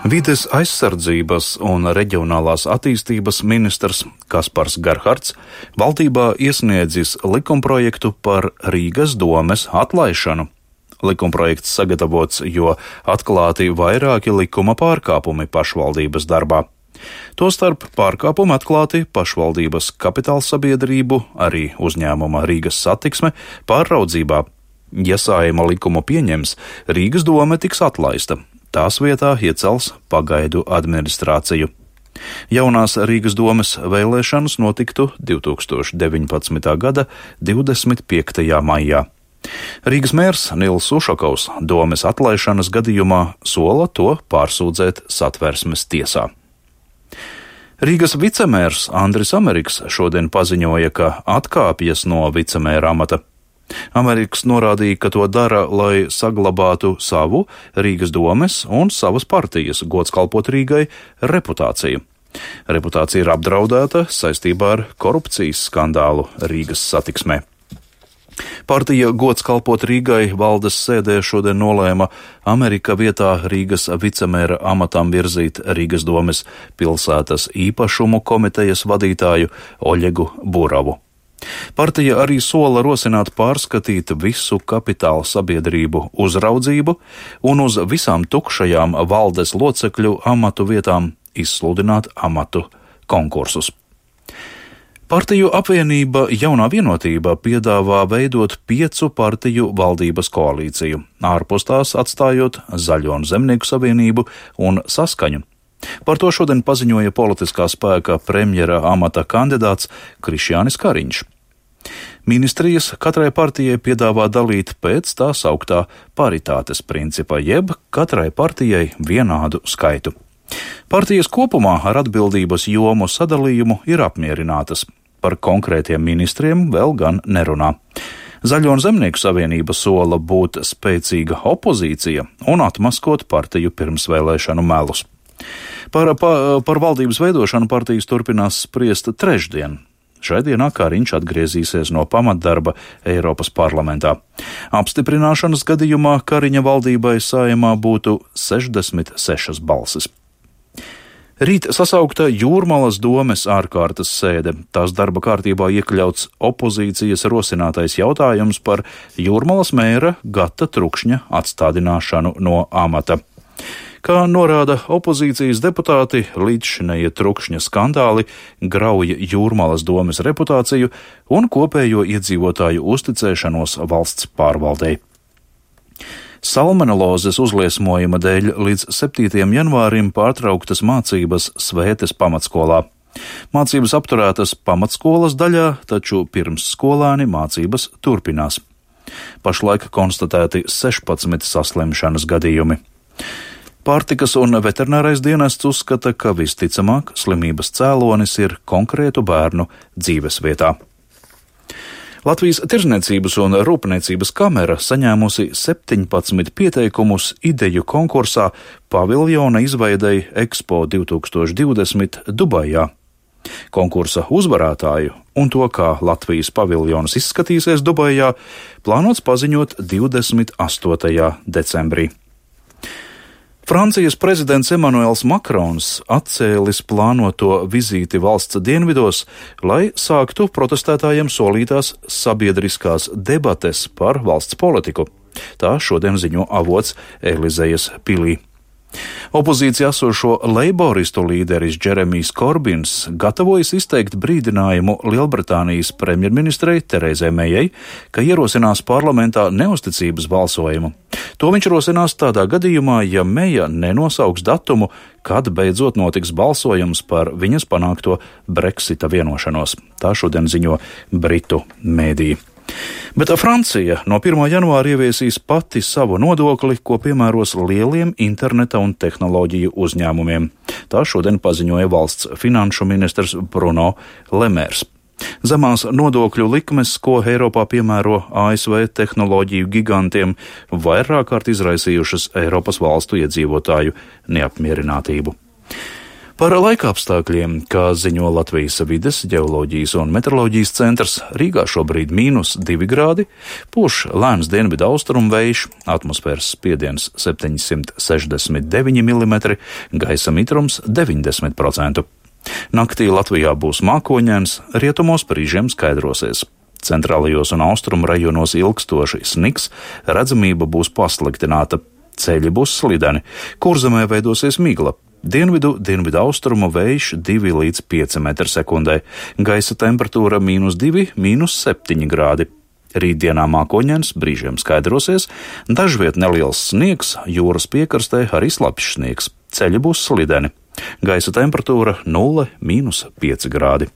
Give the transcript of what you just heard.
Vides aizsardzības un reģionālās attīstības ministrs Kaspars Gerhards valdībā iesniedzis likumprojektu par Rīgas domes atlaišanu. Likumprojekts sagatavots, jo atklāti vairāki likuma pārkāpumi pašvaldības darbā. Tostarp pārkāpumi atklāti pašvaldības kapitālsabiedrību, arī uzņēmuma Rīgas satiksme pārraudzībā. Ja Saeima likumu pieņems, Rīgas dome tiks atlaista. Tās vietā iecels pagaidu administrāciju. Jaunās Rīgas domes vēlēšanas notiktu 2019. gada 25. maijā. Rīgas mērs Nils Ušakovs domes atlaišanas gadījumā sola to pārsūdzēt Satversmes tiesā. Rīgas vicemērs Andris Ameriks šodien paziņoja, ka atkāpjas no vicemēra amata. Ameriks norādīja, ka to dara, lai saglabātu savu Rīgas domes un savas partijas gods kalpot Rīgai reputāciju. Reputācija ir apdraudēta saistībā ar korupcijas skandālu Rīgas satiksmē. Partija gods kalpot Rīgai valdes sēdē šodien nolēma Amerika vietā Rīgas vicemēra amatam virzīt Rīgas domes pilsētas īpašumu komitejas vadītāju Oļegu Buravu. Partija arī sola rosināt pārskatīt visu kapitāla sabiedrību uzraudzību un uz visām tukšajām valdes locekļu amatu vietām izsludināt amatu konkursus. Partiju apvienība Jaunā vienotība piedāvā veidot 5 partiju valdības koalīciju, ārpus tās atstājot Zaļo un Zemnieku savienību un Saskaņu. Par to šodien paziņoja politiskā spēka premjera amata kandidāts Krišjānis Kariņš. Ministrijas katrai partijai piedāvā dalīt pēc tā sauktā paritātes principa, jeb katrai partijai vienādu skaitu. Partijas kopumā ar atbildības jomu sadalījumu ir apmierinātas. Par konkrētiem ministriem vēl gan nerunā. Zaļo un Zemnieku savienība sola būt spēcīga opozīcija un atmaskot partiju pirmsvēlēšanu melus. Par valdības veidošanu partijas turpinās spriest trešdien. Šai dienā Kariņš atgriezīsies no pamatdarba Eiropas parlamentā. Apstiprināšanas gadījumā Kariņa valdībai Saeimā būtu 66 balsis. Rīt sasaukta Jūrmalas domes ārkārtas sēde. Tās darba kārtībā iekļauts opozīcijas rosinātais jautājums par Jūrmalas mēra Gata Trukšņa atstādināšanu no amata. Kā norāda opozīcijas deputāti, līdzšinējie Trukšņa skandāli grauja Jūrmalas domes reputāciju un kopējo iedzīvotāju uzticēšanos valsts pārvaldei. Salmonelozes uzliesmojuma dēļ līdz 7. janvārim pārtrauktas mācības Svētes pamatskolā. Mācības apturētas pamatskolas daļā, taču pirmsskolāni mācības turpinās. Pašlaik konstatēti 16 saslimšanas gadījumi. Pārtikas un veterinārais dienests uzskata, ka visticamāk slimības cēlonis ir konkrētu bērnu dzīvesvietā. Latvijas Tirdzniecības un Rūpniecības kamera saņēmusi 17 pieteikumus ideju konkursā paviljona izveidei Expo 2020 Dubajā. Konkursa uzvarētāju un to, kā Latvijas paviljons izskatīsies Dubajā, plānots paziņot 28. decembrī. Francijas prezidents Emmanuels Makrons atcēlis plānoto vizīti valsts dienvidos, lai sāktu protestētājiem solītās sabiedriskās debates par valsts politiku. Tā šodien ziņo avots Elizejas pilī. Opozīcijā esošo leiboristu līderis Džeremijs Korbins gatavojas izteikt brīdinājumu Lielbritānijas premjerministrei Terezai Mejai, ka ierosinās parlamentā neusticības balsojumu. To viņš rosinās tādā gadījumā, ja Meja nenosauks datumu, kad beidzot notiks balsojums par viņas panākto Brexita vienošanos. Tā šodien ziņo Britu mēdīji. Bet Francija no 1. janvāra ieviesīs pati savu nodokli, ko piemēros lieliem interneta un tehnoloģiju uzņēmumiem. Tā šodien paziņoja valsts finanšu ministrs Bruno Lemērs. Zemās nodokļu likmes, ko Eiropā piemēro ASV tehnoloģiju gigantiem, vairāk kārt izraisījušas Eiropas valstu iedzīvotāju neapmierinātību. Par laikapstākļiem, kā ziņo Latvijas vides, ģeoloģijas un meteoroloģijas centrs, Rīgā šobrīd -2 grādi, pūš lēns dienvidu austrumu vējš, atmosfēras spiediens 769 mm, gaisa mitrums 90%. Naktī Latvijā būs mākoņains, rietumos brīžiem skaidrosies. Centrālajos un austrumu rajonos ilgstoši sniks, redzamība būs pasliktināta, ceļi būs slideni, Kurzemē veidosies migla. Dienvidu austrumu vējš 2 līdz 5 m/sekundē, gaisa temperatūra -2, -7 grādi. Rītdienā mākoņains, brīžiem skaidrosies, dažviet neliels sniegs, jūras piekrastē arī slapjš sniegs, ceļi būs slideni. Gaisa temperatūra 0, -5 grādi.